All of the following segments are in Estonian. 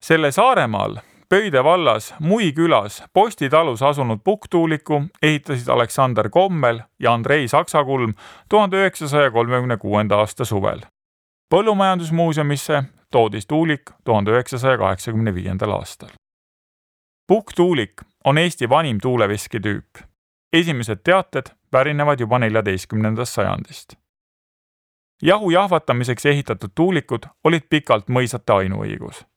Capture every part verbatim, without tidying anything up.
Selle Saaremaal Pöide vallas Mui külas postitalus asunud pukktuuliku ehitasid Aleksander Kommel ja Andrei Saksakulm tuhande üheksasaja kolmekümne kuuenda aasta suvel. Põllumajandusmuuseumisse toodis tuulik tuhande üheksasaja kaheksakümne viiendal aastal. Pukktuulik on Eesti vanim tuuleveskitüüp. Esimesed teated pärinevad juba neljateistkümnendast sajandist. Jahu jahvatamiseks ehitatud tuulikud olid pikalt mõisate ainuõigus.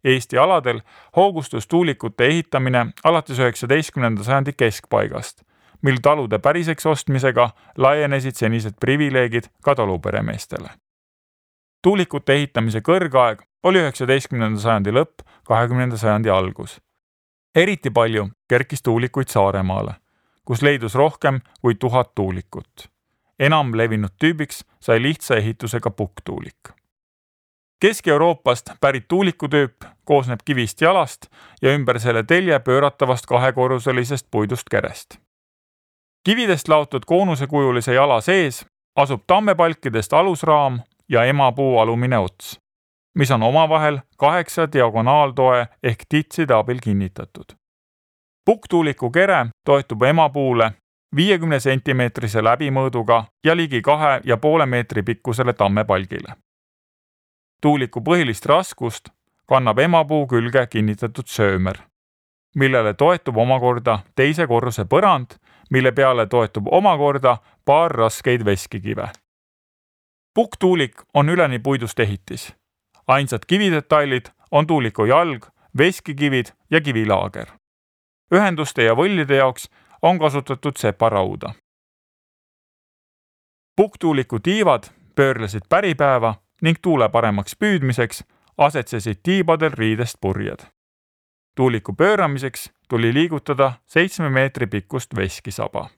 Eesti aladel hoogustus tuulikute ehitamine alates üheksateistkümnenda sajandi keskpaigast, mil talude päriseks ostmisega laienesid senised privileegid ka taluperemeestele. Tuulikute ehitamise kõrgaeg oli üheksateistkümnenda sajandi lõpp, kahekümnenda sajandi algus. Eriti palju kerkis tuulikuid Saaremaale, kus leidus rohkem kui tuhat tuulikut. Enam levinud tüübiks sai lihtsa ehitusega pukktuulik. Kesk-Euroopast pärit tuulikutüüp koosneb kivist jalast ja ümber selle telje pööratavast kahekorruselisest puidust kerest. Kividest laotud koonusekujulise jala sees asub tammepalkidest alusraam ja emapuu alumine ots, mis on omavahel kaheksa diagonaaltoe ehk titside abil kinnitatud. Pukktuuliku kere toetub emapuule viiekümne sentimeetrise läbimõõduga ja ligi kahe ja poole meetri pikkusele tammepalgile. Tuuliku põhilist raskust kannab emapuu külge kinnitatud söömer, millele toetub omakorda teise korruse põrand, mille peale toetub omakorda paar raskeid veskikive. Pukktuulik on üleni puidust ehitis. Ainsad kividetailid on tuuliku jalg, veskikivid ja kivilaager. Ühenduste ja võllide jaoks on kasutatud separauda. Pukktuuliku tiivad pöörlesid päripäeva ning tuule paremaks püüdmiseks asetsesid tiibadel riidest purjed. Tuuliku pööramiseks tuli liigutada seitsme meetri pikkust veskisaba.